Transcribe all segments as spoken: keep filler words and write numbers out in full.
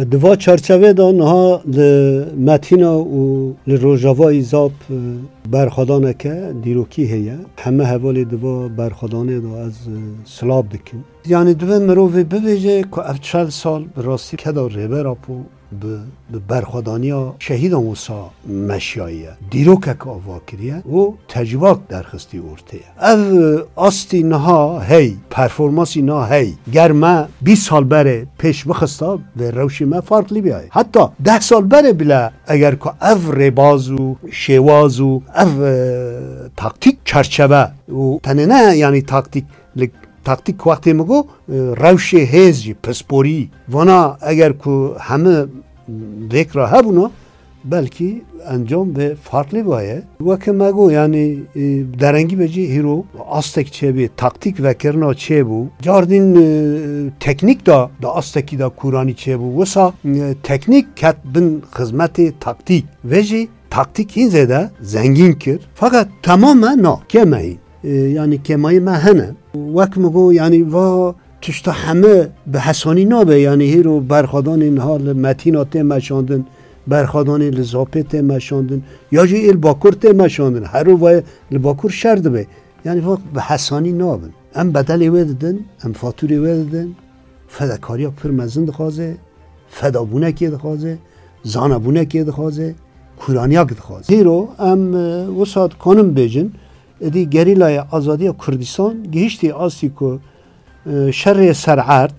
Di va çarçevê de niha li Metîna û li Rojavayî Zap, e, berxwedaneke dîrokî heye. Heme hevalê di va berxwedanê de ez, e, silav dikim. Yanî divê mirovê bibêje ku ev çel sal bi rastî keda Rêber Apo bi, bi berxwedaniya şehîdan wisa meşiyaye. Dîrokek ava kiriye û tecrûbak derxistî ortê. Ev astî niha hey, performansî niha hey. Ger me bîst sal berê pêş bixista, vê rewşê me farklı biyayê. Heta deh sal berê bile eger ku ev rêbaz û şêwaz û ev, e, taktîk çerçeve û tenê ne, yanî taktîk, li taktîk wextê min got, e, rewşê hêz jî, pisporî. Vana eger ku heme vêk re hebûna, belkî encam vê farklı baye. Weke me got, yanî, e, derengî be jî hîro astek çêbî, taktîk vekirina çêbû. Cardîn, e, teknîk da, da astekî da kûranî çêbû. Wisa, e, teknîk ket bin xizmetê taktîk. Vê jî taktîk hîn zêde zengîn kir. Feqet temame na, kêmeyî. E, yanî kêmayî me hene. Wek min got, yanî va tişta heme bi hesanî nabe, yanî hîro berxwedanê niha li Metîna tê meşandin, berxwedanê li Zapê tê meşandin, ya jî ê li Bakur tê meşandin, hero vaye li Bakur şer dibe. Yanî va bi hesanî nabin. Em bedelê wê didin, em fatûrê wê didin, fedakariya pir mezin dixwaze, fedabûnekê dixwaze, zanabûnekê dixwaze, kûraniyak dixwaze. Hîro em, e, wisa dikanin bêjin, êdî gerîlaya azadiya Kurdistan gihiştî astî ku, e, şerê ser erd,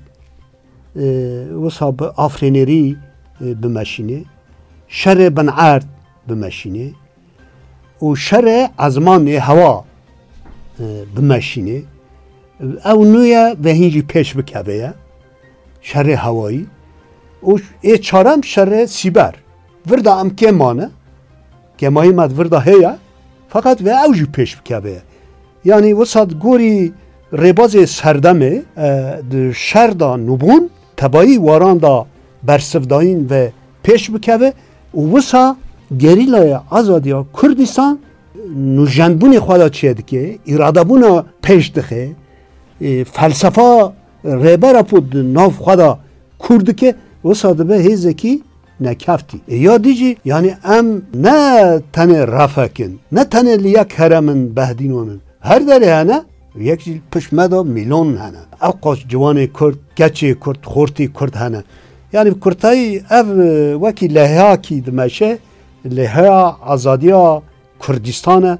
e, wisa bi afrênerî, e, bimeşînê, şerê bin erd bimeşînê û şerê ezmanê hewa, e, bimeşînê. Ew nû ye ve hîn jî pêş bikeve ye. Şerê hewayî. Û ê çarem şerê sîber. Vir de em kêm mane. Kêmayî me di vir de heye. Feqet ve ew jî pêş bikeve ye. Yanî wisa di gorî rêbazê serdemê, e, di şer de nûbûn, tebayî waran de bersivdayîn ve pêş bikeve û wisa gerîlaya azadiya Kurdistan nûjenbûnê xwe de çêdike, îradebûna pêş dixe, e, felsefa Rêber Apo di nav xwe de kûr dike, wisa dibe hêzekî nekeftî. E, ya dî jî, yanî em ne tenê refek in, ne tenê li yek herem in behdînan in. Her derê hene, yek jî pişt me de mîlon hene. Ew qas ciwanê Kurd, keçê Kurd, xortî Kurd hene. Yanî bi kurtayî ev, e, wekî leheyakî dimeşe, leheya azadiya Kurdistan e,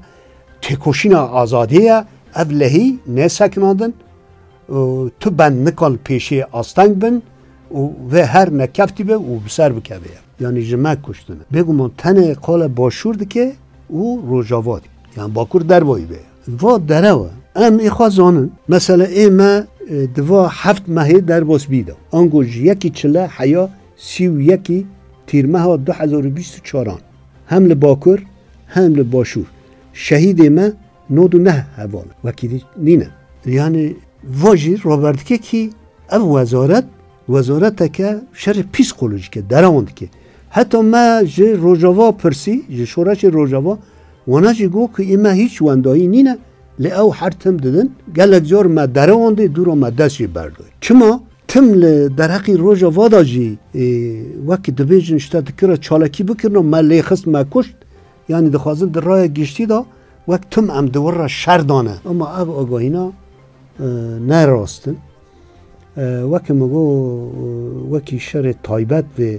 têkoşîna azadiyê ye, ev lehî nêsekinandin û tu bend nikal pêşê asteng bin û vê her nekeftî be û bi ser bikeve ye. Yanî ji me kuştine. Bêguman tenê qale Başûr dike û Rojava dike. Yanî Bakur dervayî be. Va derew e. Em ê xwe zanin. Mesela ê me, e, di va heft mehê derbas bî de. Ango ji yekî çile heya sî û yekî Tîrmeha du hezar û bîst û çaran. Hem li Bakur, hem li Başûr. Şehîdê me nod û neh heval. Wekî dî nîne. Yanî va jî raber dike kî ev wezaret, wezareteke şerê psîkolojîk e, derewan dike. Heta me ji Rojava pirsî, ji şoreşê Rojava, wana jî got ku ê me hîç wendayî nîne, lê ew her tim didin. Gelek car me derewandê, dûra me dest jê berdayî. Çima? Tim li derheqî Rojava de jî, e, wek dibêjin, ji te dikira çalakî bikirina, me lê xist, me kuşt. Yanî dixwazin di raya giştî de wek tim em di wir re şer dane. Ama ev agahîna, e, ne rast in. E, weke min got, wekî şerê taybet vê,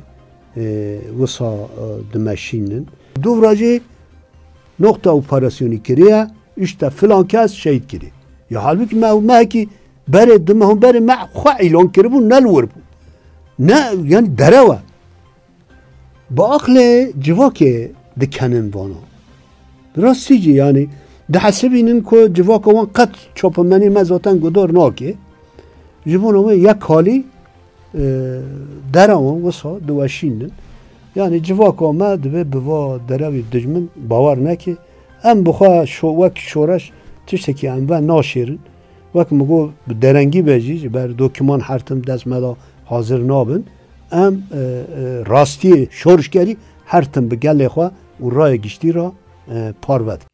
e, wisa, e, dimeşînin. Dûvra jî noqta operasyonî kiriye, îşte filan kes şehîd kiriye. Ya halbûkî me û mehekî berê, du meh û berê me xwe îlan kiribû, ne li wir bû. Ne, yanî derew e. Bi aqlê civakê dikenin vana. Bi rastî jî, yanî dihesibînin ku civaka wan qet çapemenê me zaten guhdar nake. Ji bona wê yek halî, e, derewan wisa diweşînin. Yanî civaka me divê bi va derewî dijmin bawer neke. Em bi xwe şo-, wek şoreş tiştekî em ve naşêrin. Wek min got, bi derengî be jî, ji ber dokîman her tim dest me de hazir nabin. Em, e, e, rastiyê şorişgerî her tim bi gelê xwe û raya giştî re, e, parve dikin.